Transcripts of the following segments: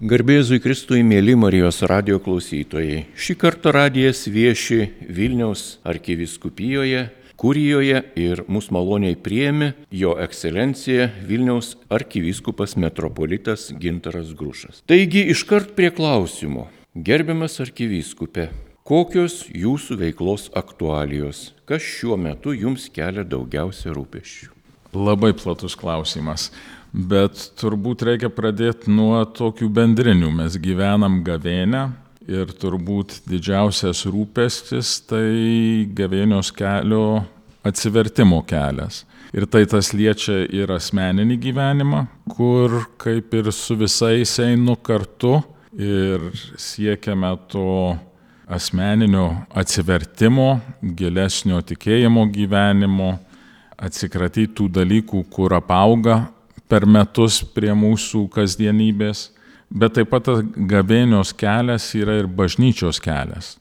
Garbėzui Kristui, mėly Marijos radijo klausytojai. Šį kartą radijas vieši Vilniaus arkivyskupijoje, kurijoje ir mūsų maloniai priėmė jo ekscelencija Vilniaus arkivyskupas metropolitas Gintaras Grušas. Taigi iškart prie klausimo. Gerbiamas arkivyskupe, kokios jūsų veiklos aktualijos? Kas šiuo metu jums kelia daugiausia rūpesčių? Labai platus klausimas. Bet turbūt reikia pradėti nuo tokių bendrinių. Mes gyvenam gavėnią ir turbūt didžiausias rūpestis tai gavėnios kelio atsivertimo kelias. Ir tai tas liečia ir asmeninį gyvenimą, kur kaip ir su visais einu kartu ir siekiame to asmeninio atsivertimo, gilesnio tikėjimo gyvenimo, atsikratyti tų dalykų, kur apauga per metus prie mūsų kasdienybės, bet taip pat gavėnios kelias yra ir bažnyčios kelias.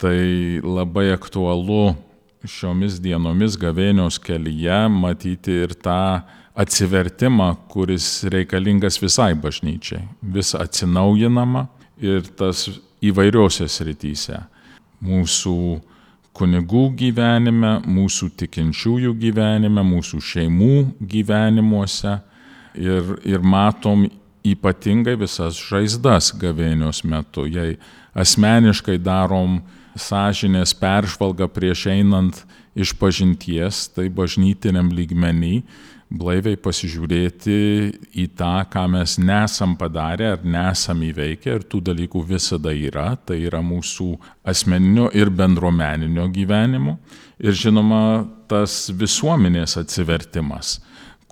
Tai labai aktualu šiomis dienomis gavėnios kelyje matyti ir tą atsivertimą, kuris reikalingas visai bažnyčiai, vis atsinaujinama ir tas įvairiose srityse. Mūsų kunigų gyvenime, mūsų tikinčiųjų gyvenime, mūsų šeimų gyvenimuose. Ir matom ypatingai visas žaizdas gavėnios metu. Jei asmeniškai darom sąžinės peržvalgą prieš einant išpažinties, tai bažnytiniam lygmenį blaiviai pasižiūrėti į tą, ką mes nesam padarę ar nesam įveikę, ir tų dalykų visada yra. Tai yra mūsų asmeninio ir bendruomeninio gyvenimo. Ir žinoma, tas visuomenės atsivertimas,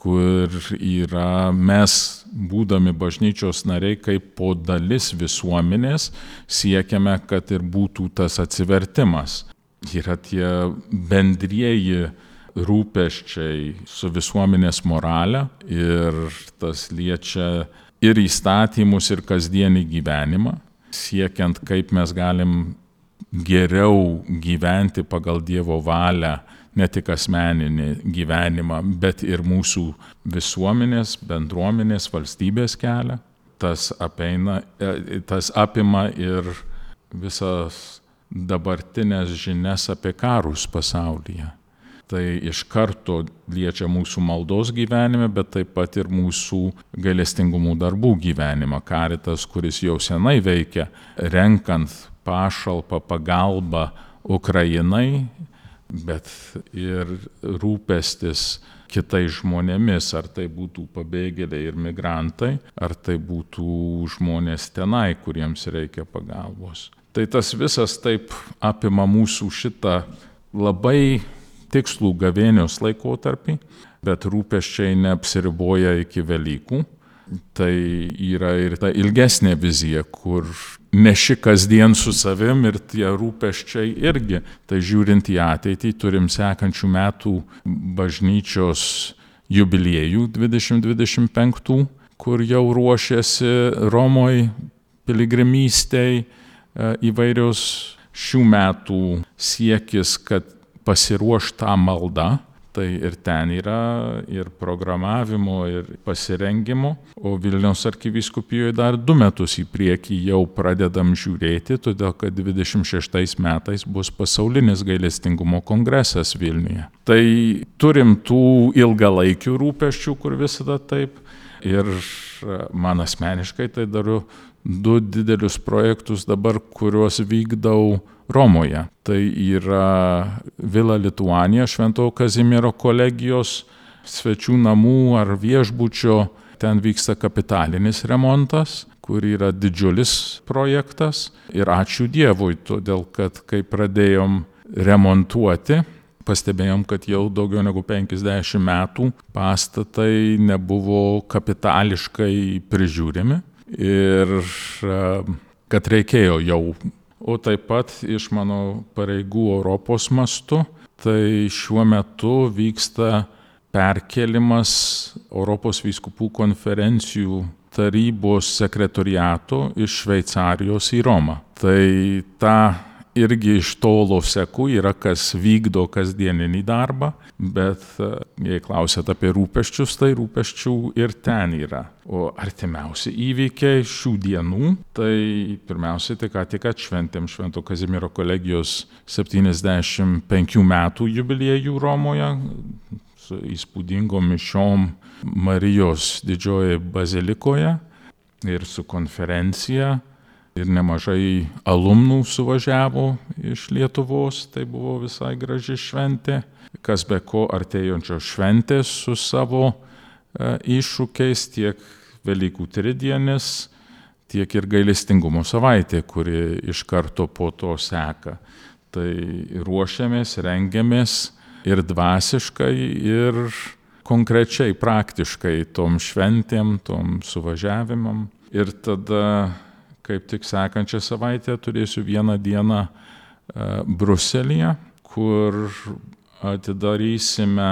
kur yra mes, būdami bažnyčios nariai, kaip po dalis visuomenės, siekiame, kad ir būtų tas atsivertimas. Yra tie bendrieji rūpesčiai su visuomenės morale ir tas liečia ir įstatymus, ir kasdienį gyvenimą, siekiant, kaip mes galim geriau gyventi pagal Dievo valią, ne tik asmeninį gyvenimą, bet ir mūsų visuomenės, bendruomenės, valstybės kelią. Tas apima ir visas dabartinės žinias apie karus pasaulyje. Tai iš karto liečia mūsų maldos gyvenime, bet taip pat ir mūsų gailestingumų darbų gyvenimą. Karitas, kuris jau senai veikia, renkant pašalpą, pagalbą Ukrainai, bet ir rūpestis kitais žmonėmis, ar tai būtų pabėgėliai ir migrantai, ar tai būtų žmonės tenai, kuriems reikia pagalbos. Tai tas visas taip apima mūsų šitą labai tikslų gavėnios laikotarpį, bet rūpesčiai neapsiriboja iki Velykų. Tai yra ir ta ilgesnė vizija, kur neši kasdien su savim ir tie rūpesčiai irgi. Tai žiūrint į ateitį, turim sekančių metų bažnyčios jubiliejų 2025, kur jau ruošiasi Romoj piligrimystei įvairios šių metų siekis, kad pasiruošta malda. Tai ir ten yra ir programavimo, ir pasirengimo, o Vilniaus arkivyskupijoje dar 2 metus į priekį jau pradedam žiūrėti, todėl kad 26 metais bus pasaulinis gailestingumo kongresas Vilniuje. Tai turim tų ilgalaikių rūpesčių, kur visada taip, ir man asmeniškai tai dariu 2 didelius projektus dabar, kuriuos vykdau Romoje. Tai yra Vila Lituanija, Šventojo Kazimiero kolegijos svečių namų ar viešbučio. Ten vyksta kapitalinis remontas, kur yra didžiulis projektas. Ir ačiū Dievui, todėl kad kai pradėjom remontuoti, pastebėjom, kad jau daugiau negu 50 metų pastatai nebuvo kapitališkai prižiūrimi ir kad reikėjo jau. O taip pat iš mano pareigų Europos mastu, tai šiuo metu vyksta perkėlimas Europos vyskupų konferencijų tarybos sekretoriato iš Šveicarijos į Romą. Tai tą irgi iš tolo seku, yra kas vykdo kasdieninį darbą, bet jei klausėt apie rūpesčius, tai rūpesčių ir ten yra. O artimiausi įvykiai šių dienų, tai pirmiausiai tai ką tik atšventėm Švento Kazimiero kolegijos 75 metų jubiliejų Romoje su įspūdingom mišiom Marijos didžiojoje bazilikoje ir su konferencija. Ir nemažai alumnų suvažiavo iš Lietuvos, tai buvo visai graži šventė. Kas be ko artėjančios šventės su savo iššūkiais, tiek Velykų tridienis, tiek ir gailestingumo savaitė, kuri iš karto po to seka. Tai ruošiamės, rengiamės ir dvasiškai, ir konkrečiai, praktiškai tom šventėm, tom suvažiavimam. Ir tada kaip tik sekančią savaitę turėsiu vieną dieną Bruselyje, kur atidarysime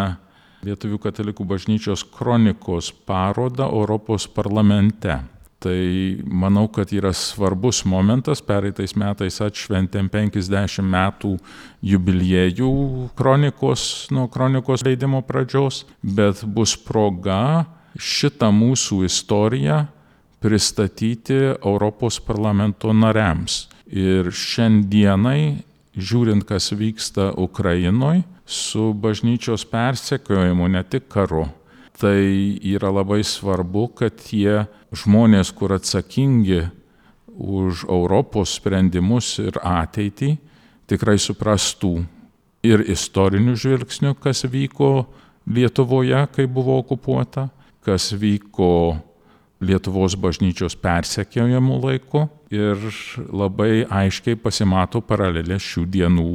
Lietuvių katalikų bažnyčios kronikos parodą Europos parlamente. Tai manau, kad yra svarbus momentas, pereitais metais atšventėm 50 metų jubiliejų nuo kronikos leidimo pradžios, bet bus proga šitą mūsų istoriją pristatyti Europos parlamento nariams. Ir šiandienai, žiūrint, kas vyksta Ukrainoje, su bažnyčios persekiojimu, ne tik karu, tai yra labai svarbu, kad tie žmonės, kur atsakingi už Europos sprendimus ir ateitį, tikrai suprastų ir istorinių žvilgsnių, kas vyko Lietuvoje, kai buvo okupuota, kas vyko Lietuvos bažnyčios persekiojimų laiku, ir labai aiškiai pasimato paralelė šių dienų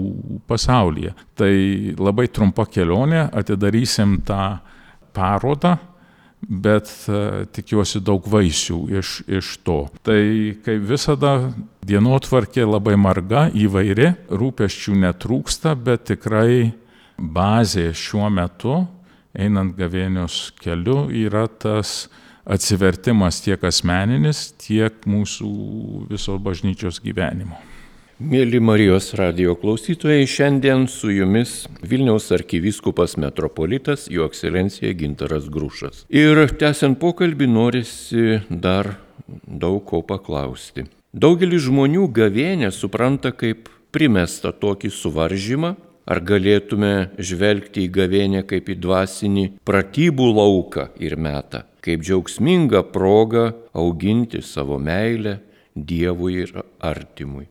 pasaulyje. Tai labai trumpa kelionė, atidarysim tą parodą, bet tikiuosi daug vaisių iš to. Tai kaip visada dienotvarkė labai marga, įvairi, rūpesčių netrūksta, bet tikrai bazė šiuo metu, einant gavėnios keliu, yra tas atsivertimas tiek asmeninis, tiek mūsų viso bažnyčios gyvenimo. Mėly Marijos radijo klausytojai, šiandien su jumis Vilniaus arkivyskupas metropolitas Jo ekscelencija Gintaras Grušas. Ir tęsiant pokalbį norisi dar daug ko paklausti. Daugelis žmonių gavėnią supranta kaip primestą tokį suvaržymą. Ar galėtume žvelgti į gavėnią kaip į dvasinį pratybų lauką ir metą, kaip džiaugsmingą progą auginti savo meilę Dievui ir artimui?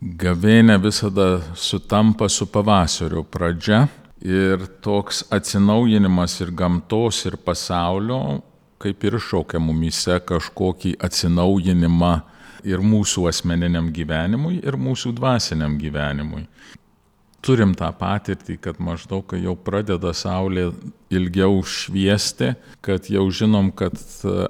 Gavėnia visada sutampa su pavasario pradžia ir toks atsinaujinimas ir gamtos, ir pasaulio kaip ir šaukia mumyse kažkokį atsinaujinimą ir mūsų asmeniniam gyvenimui, ir mūsų dvasiniam gyvenimui. Turim tą patirtį, kad maždaug, kai jau pradeda saulė ilgiau šviesti, kad jau žinom, kad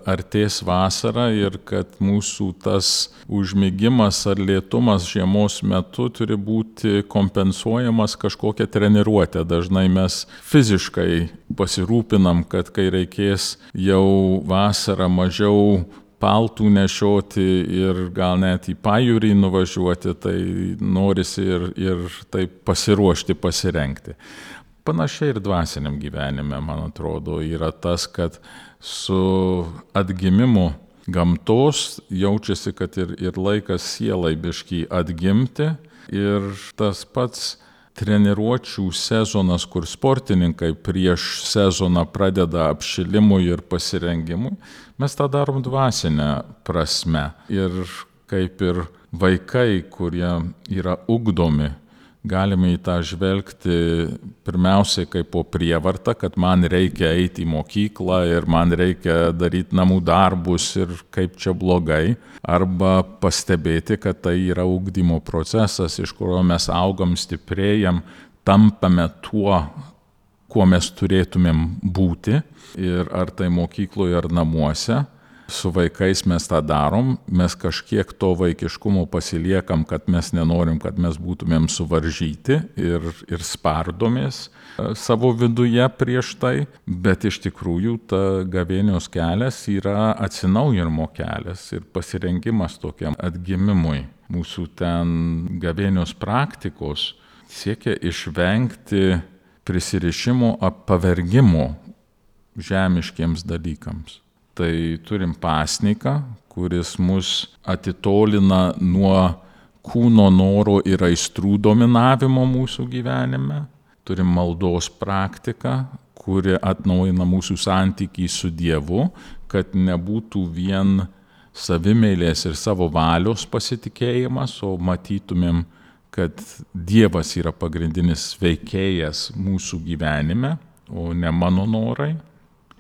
artės vasara ir kad mūsų tas užmigimas ar lėtumas žiemos metu turi būti kompensuojamas kažkokia treniruotė. Dažnai mes fiziškai pasirūpinam, kad kai reikės jau vasarą mažiau paltų nešioti ir gal net į pajūrį nuvažiuoti, tai norisi ir taip pasiruošti, pasirengti. Panašiai ir dvasiniam gyvenime, man atrodo, yra tas, kad su atgimimu gamtos jaučiasi, kad ir laikas sielai biškį atgimti, ir tas pats treniruočių sezonas, kur sportininkai prieš sezoną pradeda apšilimui ir pasirengimui, mes tą darom dvasinę prasme. Ir kaip ir vaikai, kurie yra ugdomi, galime į tą žvelgti pirmiausiai kaip po prievartą, kad man reikia eiti į mokyklą ir man reikia daryti namų darbus ir kaip čia blogai, arba pastebėti, kad tai yra ugdymo procesas, iš kurio mes augam, stiprėjam, tampame tuo, kuo mes turėtumėm būti, ir ar tai mokykloje ar namuose. Su vaikais mes tą darom, mes kažkiek to vaikiškumo pasiliekam, kad mes nenorim, kad mes būtumėm suvaržyti ir spardomės savo viduje prieš tai, bet iš tikrųjų ta gavėnios kelias yra atsinaujinimo kelias ir pasirengimas tokiam atgimimui. mūsų ten gavėnios praktikos siekia išvengti prisirišimo ar pavergimo žemiškiems dalykams. Tai turim pasniką, kuris mus atitolina nuo kūno noro ir aistrų dominavimo mūsų gyvenime. Turim maldos praktiką, kuri atnaujina mūsų santykį su Dievu, kad nebūtų vien savimeilės ir savo valios pasitikėjimas, o matytumėm, kad Dievas yra pagrindinis veikėjas mūsų gyvenime, o ne mano norai.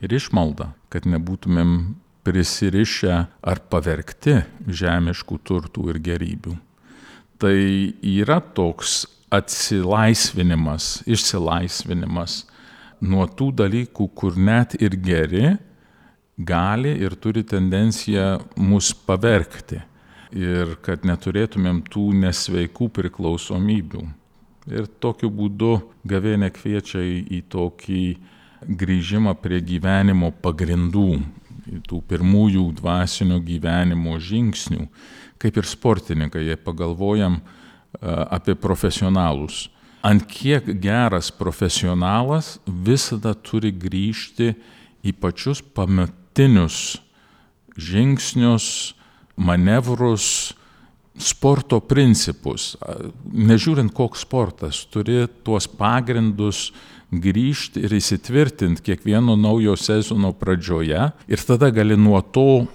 Ir išmalda, kad nebūtumėm prisirišę ar pavergti žemiškų turtų ir gerybių. Tai yra toks išsilaisvinimas nuo tų dalykų, kur net ir geri gali ir turi tendenciją mus pavergti. Ir kad neturėtumėm tų nesveikų priklausomybių. Ir tokiu būdu gavėnia kviečia į tokį grįžimą prie gyvenimo pagrindų, tų pirmųjų dvasinio gyvenimo žingsnių. Kaip ir sportininkai, jei pagalvojam apie profesionalus. Ant kiek geras profesionalas visada turi grįžti į pačius pamatinius žingsnius, manevrus, sporto principus. Nežiūrint, koks sportas, turi tuos pagrindus grįžti ir įsitvirtinti kiekvieno naujo sezono pradžioje ir tada gali nuo to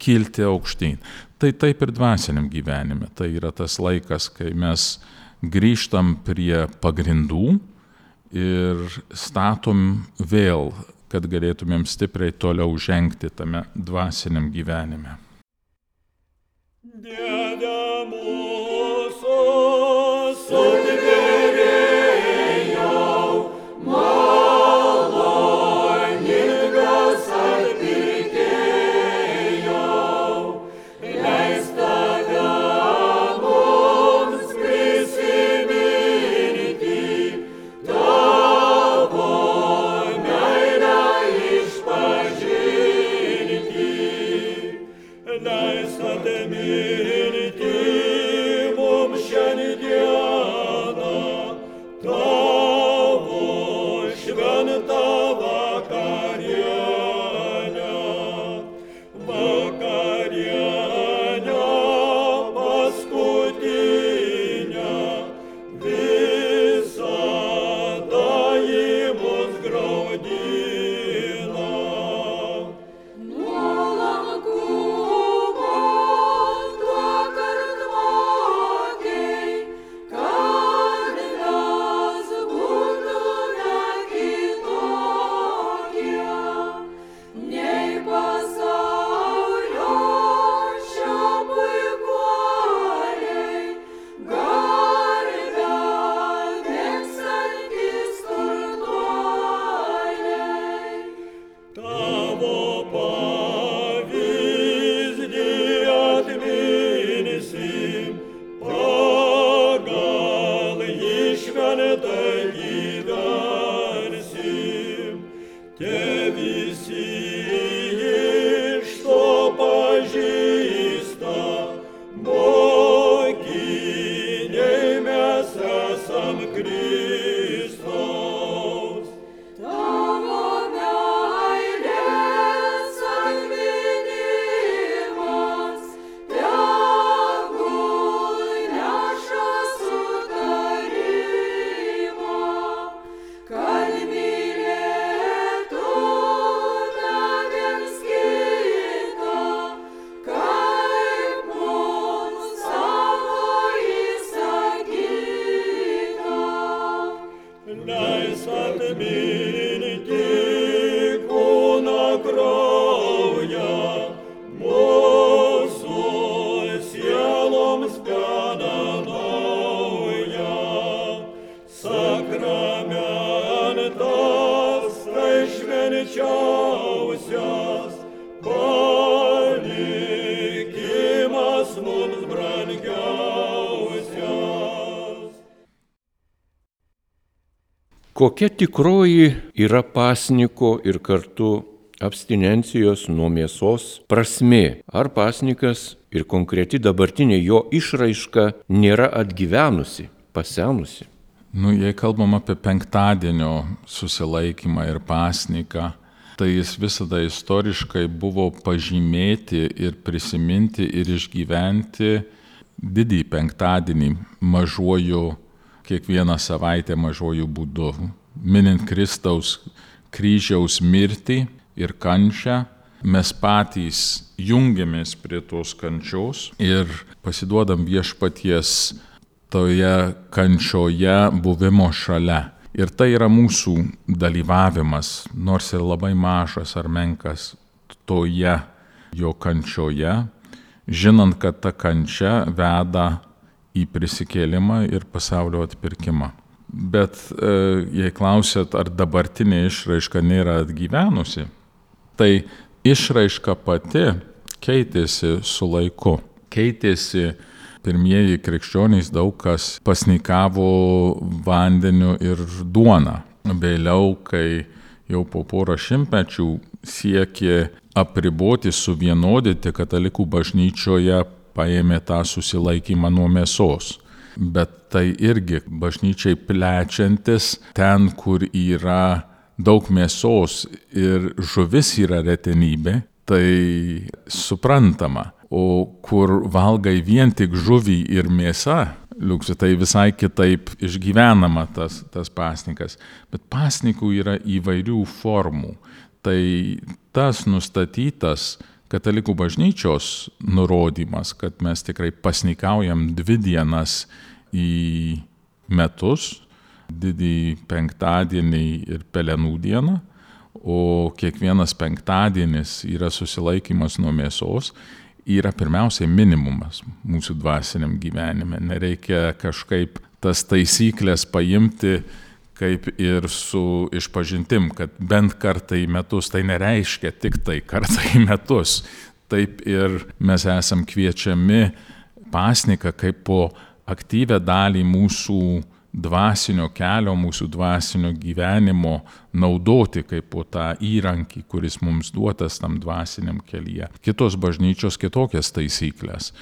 kilti aukštyn. Tai taip ir dvasiniam gyvenime. Tai yra tas laikas, kai mes grįžtam prie pagrindų ir statom vėl, kad galėtumėm stipriai toliau žengti tame dvasiniam gyvenime. Dieve mūsų sutvėrėjau, maloningas atpirkėjau, leis tave mums prisiminti, tavo meilę išpažinti, leis atminti mums šiandieną tavo šventą vakarienę, paskutinę, visada į mus graudina. Nuolankumo duokart mokiai, kad mes būtume kitokie, nei pasaulio šiapuikuoliai, garbę mėgstantys turtuoliai. Tavo pavyzdį atminsim, pagal jį šventai gyvensim. Te visi iš to pažįsta, mokiniai mes esam Kristaus. Tavo meilės atminimas tegul neša sutarimą, kad mylėtume viens kitą, kaip mums savo įsakyta. Leis atminti kūną kraują, mūsų sieloms gana naują. Sakramentas tai švenčiausias, palikimas mums brangiausias. Kokia tikroji yra pasniko ir kartu abstinencijos nuo mėsos prasmė? Ar pasnikas ir konkreti dabartinė jo išraiška nėra atgyvenusi, pasenusi? Jei kalbam apie penktadienio susilaikymą ir pasniką, tai jis visada istoriškai buvo pažymėti ir prisiminti ir išgyventi didįjį penktadienį mažuoju, kiekvieną savaitę mažuoju būdu, minint Kristaus kryžiaus mirtį ir kančią. Mes patys jungiamės prie tos kančios ir pasiduodam viešpaties toje kančioje buvimo šalia. Ir tai yra mūsų dalyvavimas, nors ir labai mažas ar menkas, toje jo kančioje, žinant, kad ta kančia veda į prisikėlimą ir pasaulio atpirkimą. Bet jei klausėt, ar dabartinė išraiška nėra atgyvenusi, tai išraiška pati keitėsi su laiku. Keitėsi pirmieji krikščionys, daug kas pasnikavo vandeniu ir duona. Vėliau, kai jau po porą šimtmečių siekė apriboti, suvienodyti, katalikų bažnyčioje paėmė tą susilaikymą nuo mėsos. Bet tai irgi bažnyčiai plečiantis, ten, kur yra daug mėsos ir žuvis yra retenybė, tai suprantama. O kur valgai vien tik žuvį ir mėsą, tai visai kitaip išgyvenama tas pasnikas. Bet pasnikų yra įvairių formų. Tai tas nustatytas katalikų bažnyčios nurodymas, kad mes tikrai pasnikaujam 2 dienas į metus, didįjį penktadienį ir Pelenų dieną, o kiekvienas penktadienis yra susilaikymas nuo mėsos, yra pirmiausiai minimumas mūsų dvasiniam gyvenime. Nereikia kažkaip tas taisyklės paimti kaip ir su išpažintim, kad bent kartą į metus, tai nereiškia tik tai kartą į metus. Taip ir mes esam kviečiami pasniką kaip po aktyvę dalį mūsų dvasinio kelio, mūsų dvasinio gyvenimo naudoti kaip po tą įrankį, kuris mums duotas tam dvasiniam kelyje. Kitos bažnyčios kitokias taisyklės.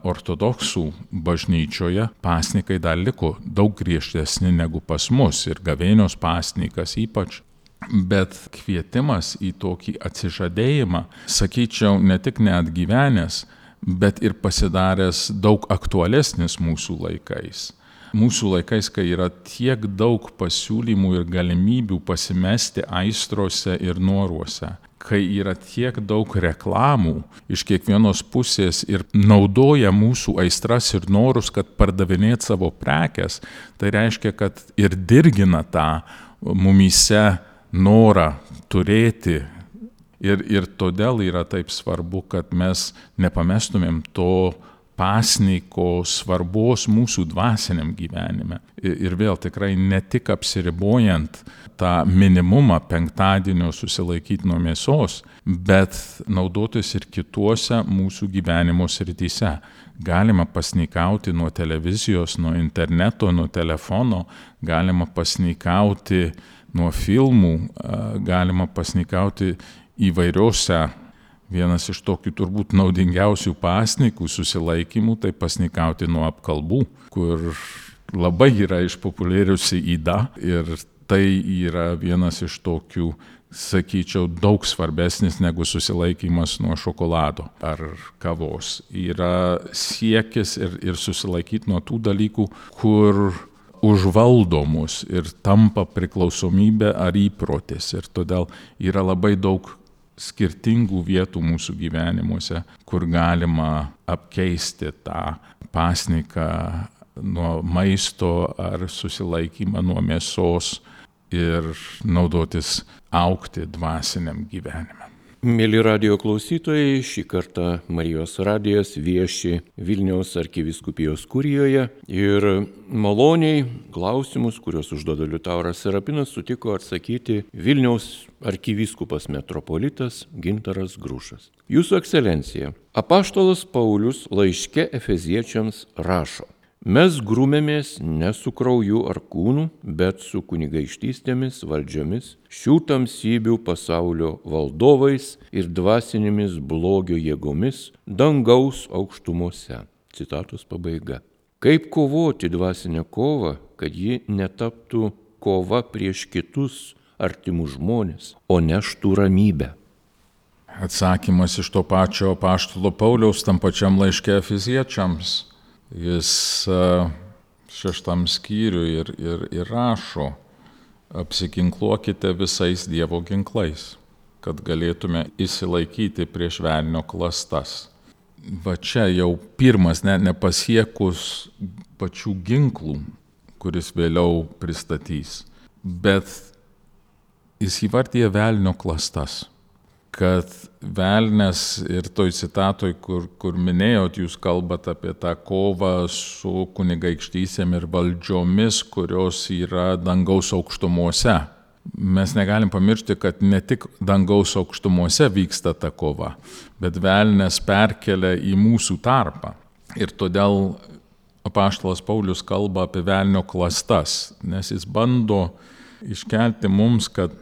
Ortodoksų bažnyčioje pasnikai dar liko daug griežtesni negu pas mus ir gavėnios pasnikas ypač. Bet kvietimas į tokį atsižadėjimą, sakyčiau, ne tik neatgyvenęs, bet ir pasidaręs daug aktualesnis mūsų laikais. Mūsų laikais, kai yra tiek daug pasiūlymų ir galimybių pasimesti aistrose ir noruose, kai yra tiek daug reklamų iš kiekvienos pusės ir naudoja mūsų aistras ir norus, kad pardavinėt savo prekes, tai reiškia, kad ir dirgina tą mumyse norą turėti. Ir todėl yra taip svarbu, kad mes nepamestumėm to pasniko svarbos mūsų dvasiniam gyvenime. Ir vėl tikrai ne tik apsiribojant tą minimumą penktadienio susilaikyti nuo mėsos, bet naudotis ir kituose mūsų gyvenimo srityse. Galima pasnikauti nuo televizijos, nuo interneto, nuo telefono, galima pasnikauti nuo filmų, galima pasnikauti įvairiose. Vienas iš tokių turbūt naudingiausių pasnikų susilaikymų, tai pasnikauti nuo apkalbų, kur labai yra išpopuliariusi yda ir tai yra vienas iš tokių, sakyčiau, daug svarbesnis negu susilaikymas nuo šokolado ar kavos. Yra siekis ir susilaikyti nuo tų dalykų, kur užvaldo mus ir tampa priklausomybė ar įprotis. Ir todėl yra labai daug skirtingų vietų mūsų gyvenimuose, kur galima apkeisti tą pasniką nuo maisto ar susilaikymą nuo mėsos ir naudotis augti dvasiniam gyvenime. Mėly radijo klausytojai, šį kartą Marijos radijas vieši Vilniaus arkivyskupijos kurijoje ir maloniai klausimus, kuriuos užduoda Liutauras Serapinas, sutiko atsakyti Vilniaus arkivyskupas metropolitas Gintaras Grušas. Jūsų ekscelencija, apaštalas Paulius laiške Efeziečiams rašo: Mes grūmėmės ne su krauju ar kūnu, bet su kunigaikštystėmis, valdžiomis, šių tamsybių pasaulio valdovais ir dvasinėmis blogio jėgomis dangaus aukštumose. Citatos pabaiga. Kaip kovoti dvasinę kovą, kad ji netaptų kova prieš kitus artimus žmonės, o neštų ramybę? Atsakymas iš to pačio apaštalo Pauliaus tam pačiam laiške Efeziečiams. Jis 6 skyriui ir rašo: apsiginkluokite visais Dievo ginklais, kad galėtume išsilaikyti prieš velnio klastas. Va čia jau pirmas, nepasiekus pačių ginklų, kuris vėliau pristatys, bet jis įvardyja velnio klastas. Kad velnes ir toj citatoj, kur minėjot, jūs kalbat apie tą kovą su kunigaikštysėm ir valdžiomis, kurios yra dangaus aukštumose. Mes negalim pamiršti, kad ne tik dangaus aukštumose vyksta ta kova, bet velnes perkelia į mūsų tarpą. Ir todėl apaštalas Paulius kalba apie velnio klastas, nes jis bando iškelti mums, kad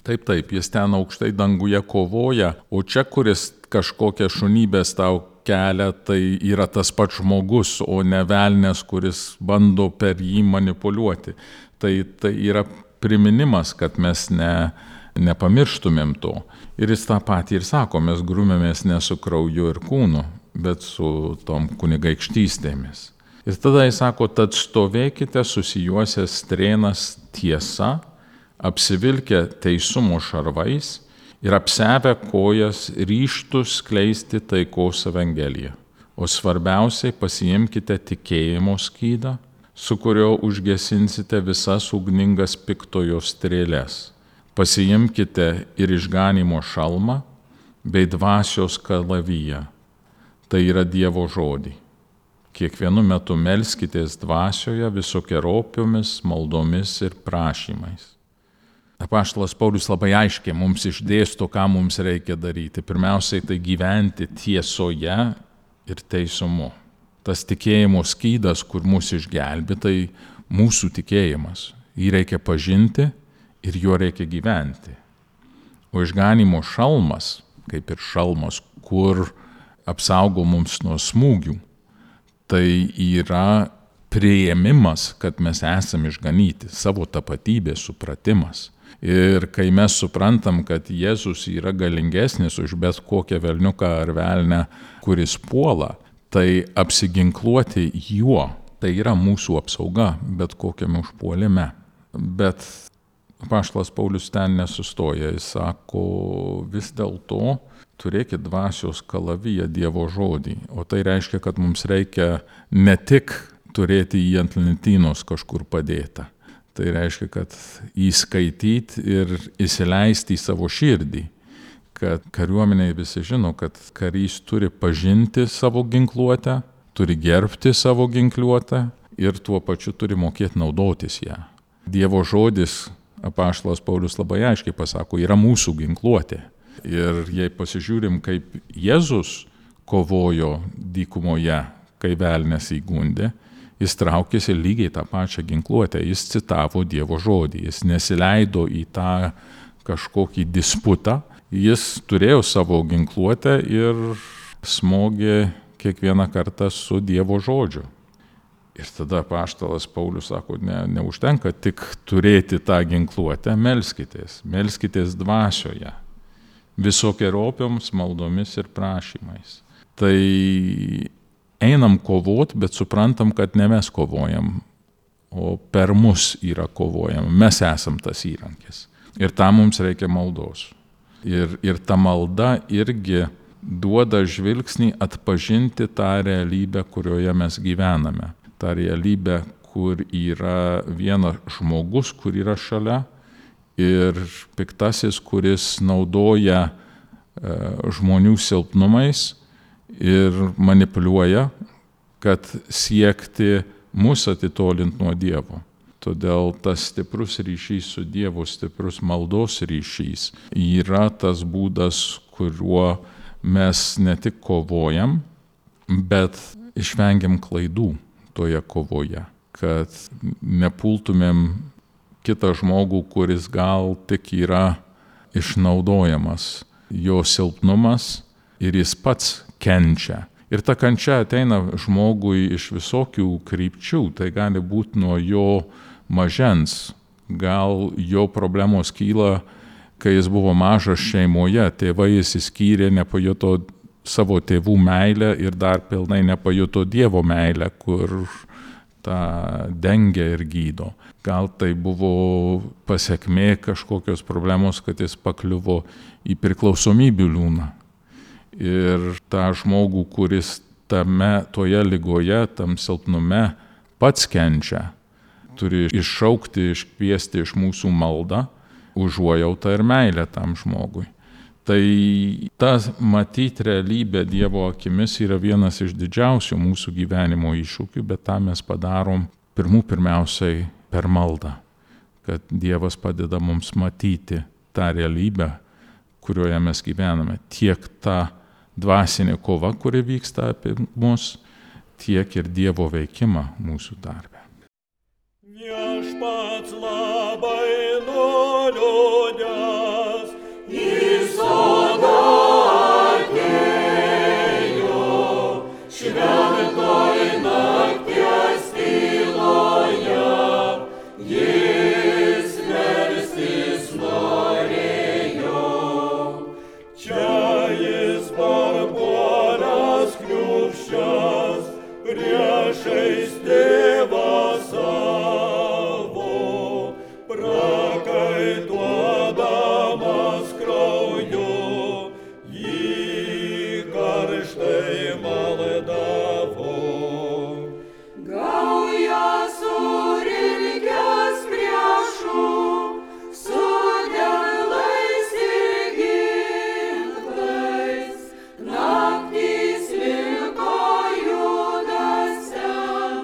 taip, jis ten aukštai danguje kovoja, o čia, kuris kažkokią šunybės tau kelia, tai yra tas pats žmogus, o ne velnės, kuris bando per jį manipuliuoti. Tai yra priminimas, kad mes nepamirštumėm to. Ir jis tą patį ir sako, mes grūmėmės ne su krauju ir kūnu, bet su tom kunigaikštystėmis. Ir tada jis sako, tad stovėkite susijuosę strėnas tiesa, apsivilkę teisumo šarvais ir apsevę kojas ryžtus skleisti taikos evangeliją. O svarbiausiai pasiimkite tikėjimo skydą, su kurio užgesinsite visas ugningas piktojo strėles. Pasiimkite ir išganimo šalmą bei dvasios kalaviją. Tai yra Dievo žodį. Kiekvienu metu melskitės dvasioje visokeriopiomis maldomis ir prašymais. Apaštalas Paulius labai aiškiai mums išdėsto, ką mums reikia daryti. Pirmiausiai tai gyventi tiesoje ir teisumu. Tas tikėjimo skydas, kur mus išgelbė, tai mūsų tikėjimas. Jį reikia pažinti ir juo reikia gyventi. O išganimo šalmas, kaip ir šalmas, kur apsaugo mums nuo smūgių, tai yra priėmimas, kad mes esame išganyti, savo tapatybės supratimas. Ir kai mes suprantam, kad Jėzus yra galingesnis už bet kokią velniuką ar velnę, kuris puola, tai apsiginkluoti juo, tai yra mūsų apsauga bet kokiame užpuolime. Bet apaštalas Paulius ten nesustoja, jis sako, vis dėlto turėkit dvasios kalaviją, Dievo žodį. O tai reiškia, kad mums reikia ne tik turėti jį ant lentynos kažkur padėtą. Tai reiškia, kad įskaityti ir įsileisti į savo širdį, kad kariuomeniai visi žino, kad karys turi pažinti savo ginkluotę, turi gerbti savo ginkluotę ir tuo pačiu turi mokėti naudotis ją. Dievo žodis, apaštalas Paulius labai aiškiai pasako, yra mūsų ginkluotė. Ir jei pasižiūrim, kaip Jėzus kovojo dykumoje, kai velnias įgundė, jis traukėsi lygiai tą pačią ginkluotę, jis citavo Dievo žodį, jis nesileido į tą kažkokį disputą, jis turėjo savo ginkluotę ir smogė kiekvieną kartą su Dievo žodžiu. Ir tada apaštalas Paulius sako, neužtenka tik turėti tą ginkluotę, melskitės dvasioje, visokeriopioms maldomis ir prašymais. Tai einam kovot, bet suprantam, kad ne mes kovojam, o per mus yra kovojama. Mes esam tas įrankis. Ir tam mums reikia maldos. Ir ta malda irgi duoda žvilgsnį atpažinti tą realybę, kurioje mes gyvename. Ta realybė, kur yra vienas žmogus, kur yra šalia, ir piktasis, kuris naudoja žmonių silpnumais ir manipuliuoja, kad siekti mus atitolinti nuo Dievo. Todėl tas stiprus ryšys su Dievu, stiprus maldos ryšys yra tas būdas, kuriuo mes ne tik kovojam, bet išvengiam klaidų. toje kovoje, kad nepultumėm kitą žmogų, kuris gal tik yra išnaudojamas, jo silpnumas ir jis pats kenčia. Ir ta kančia ateina žmogui iš visokių krypčių, tai gali būti nuo jo mažens, gal jo problemos kyla, kai jis buvo mažas šeimoje, tėvai išsiskyrė, nepajuto savo tėvų meilę ir dar pilnai nepajuto Dievo meilę, kur tą dengia ir gydo. Gal tai buvo pasekmė kažkokios problemos, kad jis pakliuvo į priklausomybių liūną. Ir tą žmogų, kuris toje ligoje, tam silpnume pats kenčia, turi iššaukti, iškviesti iš mūsų maldą, užuojautą ir meilę tam žmogui. Tai ta matyti realybę Dievo akimis yra vienas iš didžiausių mūsų gyvenimo iššūkių, bet tą mes padarom pirmiausiai per maldą, kad Dievas padeda mums matyti tą realybę, kurioje mes gyvename. Tiek ta dvasinė kova, kuri vyksta apie mus, tiek ir Dievo veikimą mūsų darbe. Viešpats labai nuliūdęs į sodą atėjo, šventoj nakties tyloje, jis melstis norėjo. Čia jis parpuolęs kniūbsčias priešais tėvą savo, prakaituodamas krauju, jį karštai maldavo. Gauja surinkęs priešų, su delnais ir ginklais, naktys liko judasiam,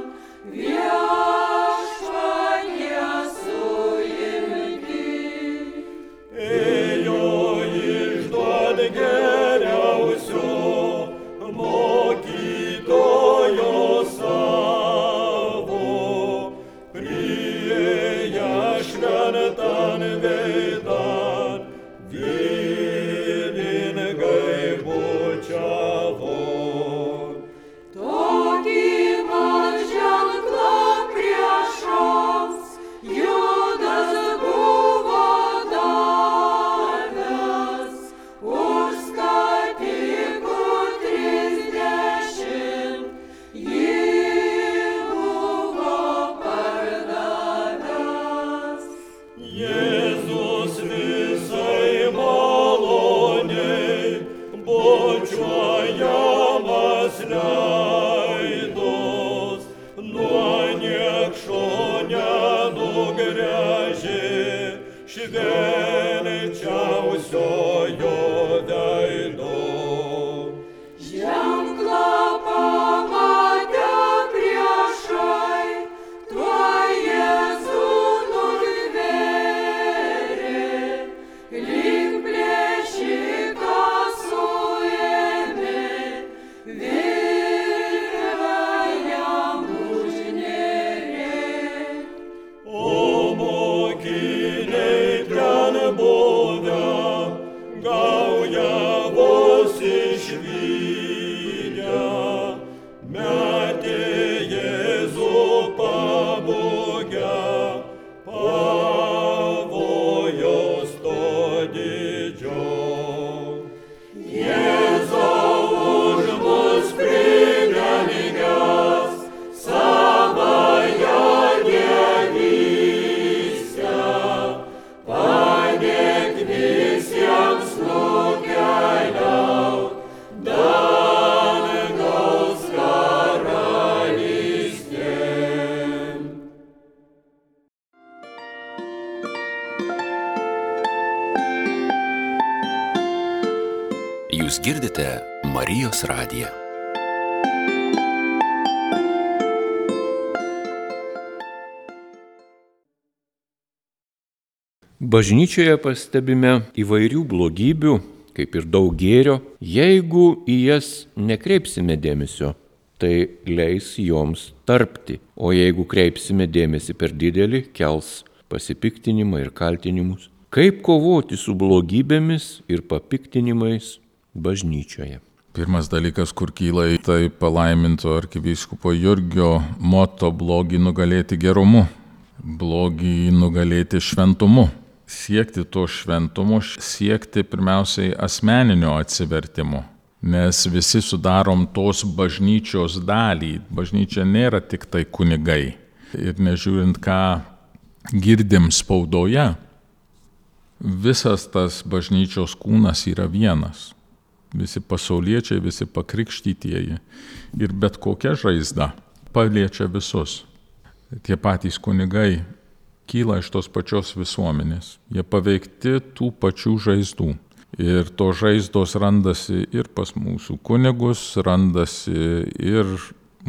viešpatie suimti. Ėjo išduot geriausio mokytojo savo, priėję šventan veidan, vyningai bučiavo. Tokį man ženklą priešams Judas buvo davęs, už skatikų 30 jį buvo pardavęs. Jėzus visai maloniai bučiuojamas leidos, nuo niekšo nenugręžė švenčiausiojo veido. Ženklą pamatę priešai, tuoj Jėzų nutvėrė, lyg plėšiką suėmė, virvę jam užnėrė. O mokiniai ten buvę, gauja vos išvydę, metė Jėzų pabūgę, pavojaus to didžio. Jėzau už mus pridengęs savąją dievystę, padėk visiems nukeliaut dangaus karalystėn. Jūs girdite Marijos radiją. Bažnyčioje pastebime įvairių blogybių, kaip ir daug gėrio, jeigu į jas nekreipsime dėmesio. tai leis joms tarpti. O jeigu kreipsime dėmesį per didelį, kels pasipiktinimą ir kaltinimus. Kaip kovoti su blogybėmis ir papiktinimais bažnyčioje? Pirmas dalykas, kur kyla, tai palaiminto arkivyskupo Jurgio moto blogį nugalėti gerumu, blogį nugalėti šventumu. Siekti to šventumo, siekti pirmiausiai asmeninio atsivertimo, nes visi sudarom tos bažnyčios dalį. Bažnyčia nėra tik tai kunigai. Ir nežiūrint, ką girdim spaudoje, visas tas bažnyčios kūnas yra vienas. Visi pasauliečiai, visi pakrikštytieji. Ir bet kokia žaizda paliečia visus. Tie patys kunigai kyla iš tos pačios visuomenės. Jie paveikti tų pačių žaizdų. Ir to žaizdos randasi ir pas mūsų kunigus, randasi ir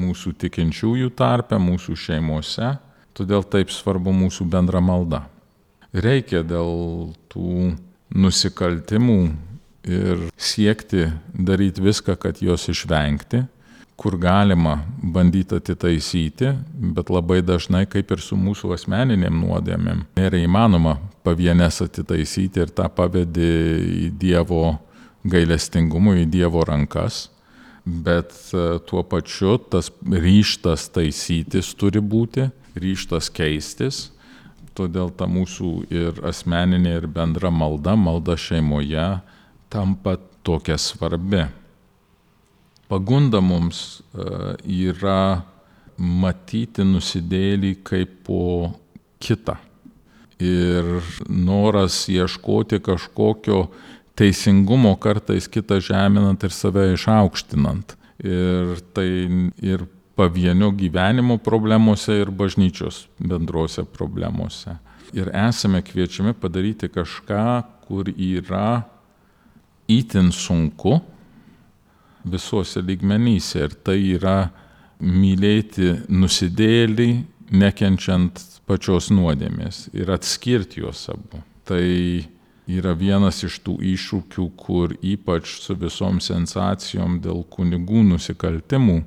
mūsų tikinčiųjų tarpe, mūsų šeimose. Todėl taip svarbu mūsų bendra malda. Reikia dėl tų nusikaltimų ir siekti daryti viską, kad juos išvengti, kur galima bandyti atitaisyti, bet labai dažnai, kaip ir su mūsų asmeninėm nuodėmėm, nėra įmanoma pavienes atitaisyti ir tą pavedi į Dievo gailestingumą, į Dievo rankas, bet tuo pačiu tas ryžtas taisytis turi būti, ryžtas keistis, todėl ta mūsų ir asmeninė, ir bendra malda šeimoje tampa tokia svarbi. Pagunda mums yra matyti nusidėjėlį kaip po kitą. Ir noras ieškoti kažkokio teisingumo kartais kitą žeminant ir save išaukštinant. Ir tai ir pavienio gyvenimo problemose, ir bažnyčios bendrose problemose. Ir esame kviečiami padaryti kažką, kur yra itin sunku visuose lygmenyse. Ir tai yra mylėti nusidėjėlį, nekenčiant pačios nuodėmės ir atskirti juos abu. Tai yra vienas iš tų iššūkių, kur ypač su visom sensacijom dėl kunigų nusikaltimų,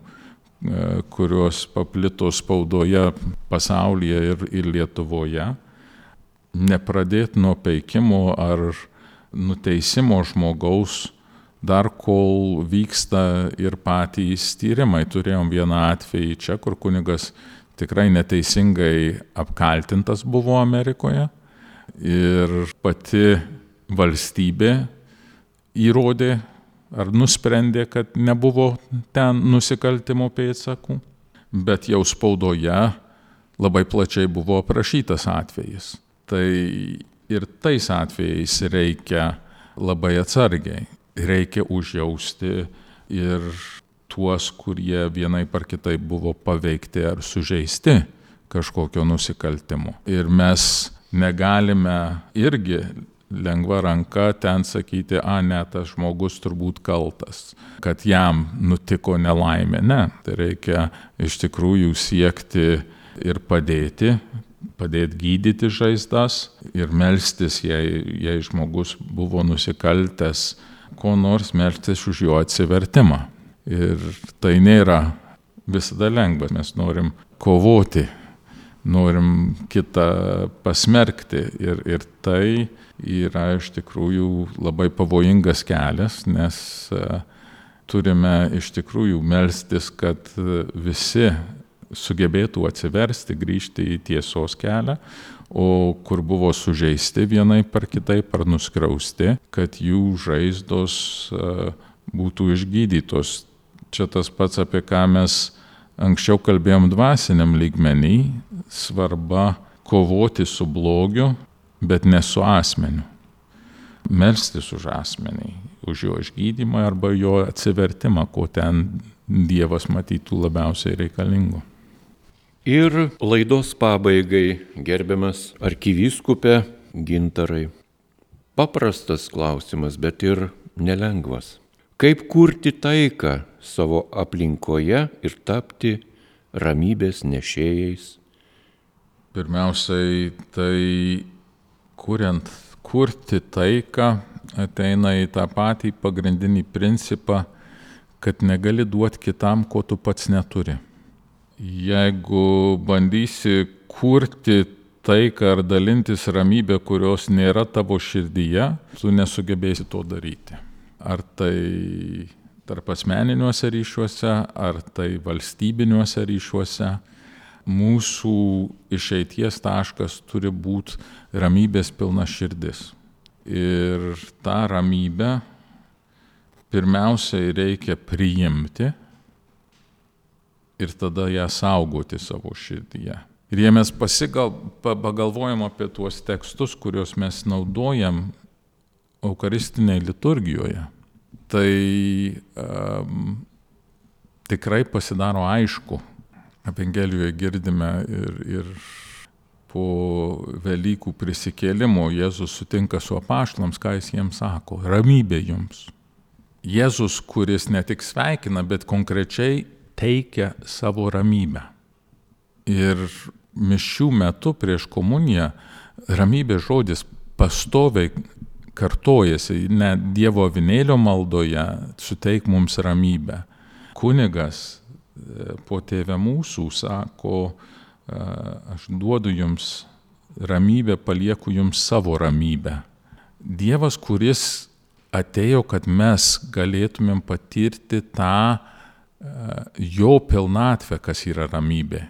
kurios paplito spaudoje pasaulyje ir Lietuvoje, nepradėti nuo peikimo ar nuteisimo žmogaus, dar kol vyksta ir patys tyrimai. Turėjom vieną atvejį čia, kur kunigas tikrai neteisingai apkaltintas buvo Amerikoje ir pati valstybė įrodė ar nusprendė, kad nebuvo ten nusikaltimo pėdsakų, bet jau spaudoje labai plačiai buvo aprašytas atvejis. Tai ir tais atvejais reikia labai atsargiai. Reikia užjausti ir tuos, kurie vienaip ar kitaip buvo paveikti ar sužeisti kažkokio nusikaltimo. Ir mes negalime irgi lengva ranka ten sakyti, ne, tas žmogus turbūt kaltas, kad jam nutiko nelaimė. Ne, tai reikia iš tikrųjų siekti ir padėti gydyti žaizdas ir melstis, jei žmogus buvo nusikaltęs, ko nors melstis už jo atsivertimą. Ir tai nėra visada lengva. Mes norim kovoti, norim kitą pasmerkti. Ir tai yra iš tikrųjų labai pavojingas kelias, nes turime iš tikrųjų melstis, kad visi sugebėtų atsiversti, grįžti į tiesos kelią, o kur buvo sužeisti vienaip ar kitaip ar nuskriausti, kad jų žaizdos būtų išgydytos. Čia tas pats, apie ką mes anksčiau kalbėjom dvasiniam lygmenį, svarba kovoti su blogiu, bet ne su asmeniu. Melstis už asmenį, už jo išgydymą arba jo atsivertimą, ko ten Dievas matytų labiausiai reikalingo. Ir laidos pabaigai, gerbiamas arkivyskupe Gintarai. Paprastas klausimas, bet ir nelengvas. Kaip kurti taiką savo aplinkoje ir tapti ramybės nešėjais? Pirmiausiai, tai kurti taiką ateina į tą patį pagrindinį principą, kad negali duoti kitam, ko tu pats neturi. Jeigu bandysi kurti taiką ar dalintis ramybę, kurios nėra tavo širdyje, tu nesugebėsi to daryti. Ar tai tarp asmeniniuose ryšiuose, ar tai valstybiniuose ryšiuose. Mūsų išeities taškas turi būti ramybės pilna širdis. Ir tą ramybę pirmiausiai reikia priimti ir tada ją saugoti savo širdyje. Ir jei mes pagalvojam apie tuos tekstus, kuriuos mes naudojam eucharistinėje liturgijoje, tai tikrai pasidaro aišku. Evangelijoje girdime ir po Velykų prisikėlimo Jėzus sutinka su apaštalams, ką jis jiems sako: ramybė jums. Jėzus, kuris ne tik sveikina, bet konkrečiai teikia savo ramybę. Ir mišių metu prieš komuniją ramybės žodis pastoviai kartojasi, net Dievo avinėlio maldoje suteik mums ramybę. Kunigas po Tėve mūsų sako, aš duodu jums ramybę, palieku jums savo ramybę. Dievas, kuris atėjo, kad mes galėtumėm patirti tą jo pilnatvę, kas yra ramybė.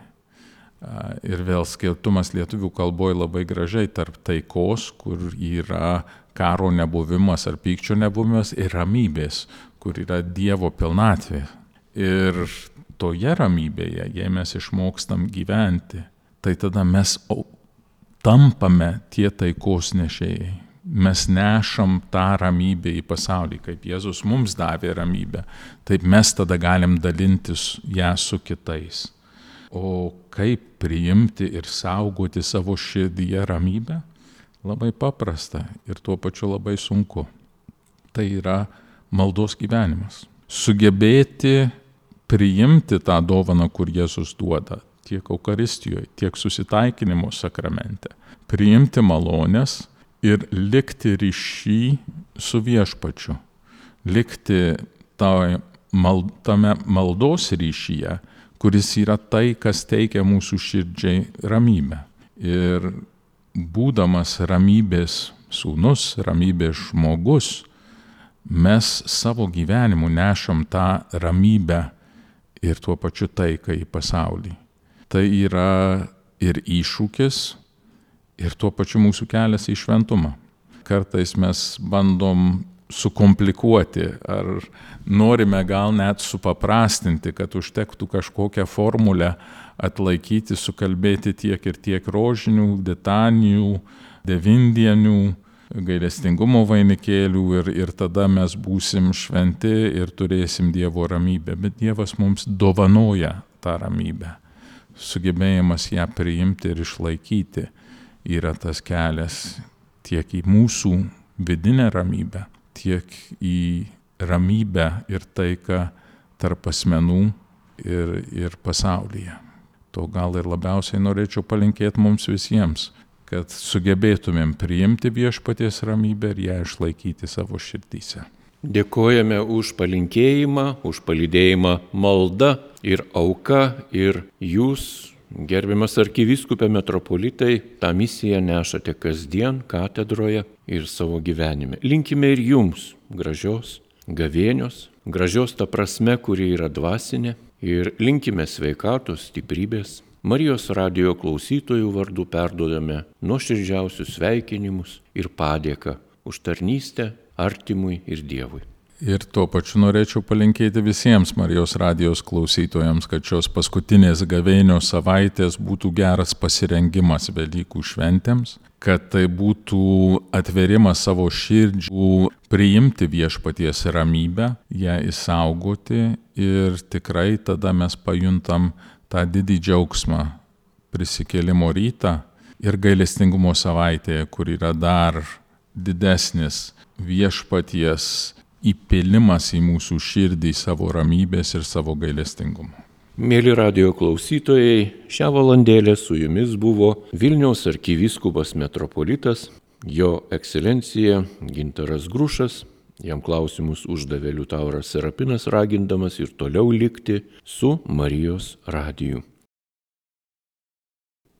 Ir vėl skirtumas lietuvių kalboje labai gražiai tarp taikos, kur yra karo nebuvimas ar pykčio nebuvimas, ir ramybės, kur yra Dievo pilnatvė. Ir toje ramybėje, jei mes išmokstam gyventi, tai tada mes tampame tie taikos nešėjai. Mes nešam tą ramybę į pasaulį, kaip Jėzus mums davė ramybę, taip mes tada galim dalintis ją su kitais. O kaip priimti ir saugoti savo širdyje ramybę? Labai paprasta ir tuo pačiu labai sunku. Tai yra maldos gyvenimas. Sugebėti priimti tą dovaną, kur Jėzus duoda, tiek Eucharistijoje, tiek susitaikinimo sakramente. Priimti malonės ir likti ryšy su viešpačiu. Likti tame maldos ryšyje, kuris yra tai, kas teikia mūsų širdžiai ramybę. Ir būdamas ramybės sūnus, ramybės žmogus, mes savo gyvenimu nešam tą ramybę ir tuo pačiu taiką į pasaulį. Tai yra ir iššūkis, ir tuo pačiu mūsų kelias į šventumą. Kartais mes bandom sukomplikuoti, ar norime gal net supaprastinti, kad užtektų kažkokią formulę atlaikyti, sukalbėti tiek ir tiek rožinių, litanijų, devindienių, gailestingumo vainikėlių ir tada mes būsim šventi ir turėsim Dievo ramybę. Bet Dievas mums dovanoja tą ramybę. Sugebėjimas ją priimti ir išlaikyti yra tas kelias tiek į mūsų vidinę ramybę, tiek į ramybę ir taiką tarp asmenų ir pasaulyje. To gal ir labiausiai norėčiau palinkėti mums visiems, kad sugebėtumėm priimti viešpaties ramybę ir ją išlaikyti savo širdyse. Dėkojame už palinkėjimą, už palydėjimą malda ir auka, ir jūs, gerbiamas arkivyskupė metropolitai, tą misiją nešate kasdien katedroje ir savo gyvenime. Linkime ir jums gražios gavėnios, gražios ta prasme, kuri yra dvasinė, ir linkime sveikatos, stiprybės. Marijos radijo klausytojų vardu perduodame nuoširdžiausius sveikinimus ir padėką už tarnystę artimui ir Dievui. Ir tuo pačiu norėčiau palinkėti visiems Marijos radijos klausytojams, kad šios paskutinės gavėnios savaitės būtų geras pasirengimas Velykų šventėms, kad tai būtų atverimas savo širdžių, priimti viešpaties ramybę, ją išsaugoti ir tikrai tada mes pajuntam tą didį džiaugsmą prisikėlimo rytą ir gailestingumo savaitėje, kur yra dar didesnis viešpaties įpilimas į mūsų širdį savo ramybės ir savo gailestingumo. Mėly radijo klausytojai, šią valandėlę su jumis buvo Vilniaus arkivyskupas metropolitas, jo ekscelencija Gintaras Grušas. Jam klausimus uždavė Liutauras Serapinas, ragindamas ir toliau likti su Marijos radiju.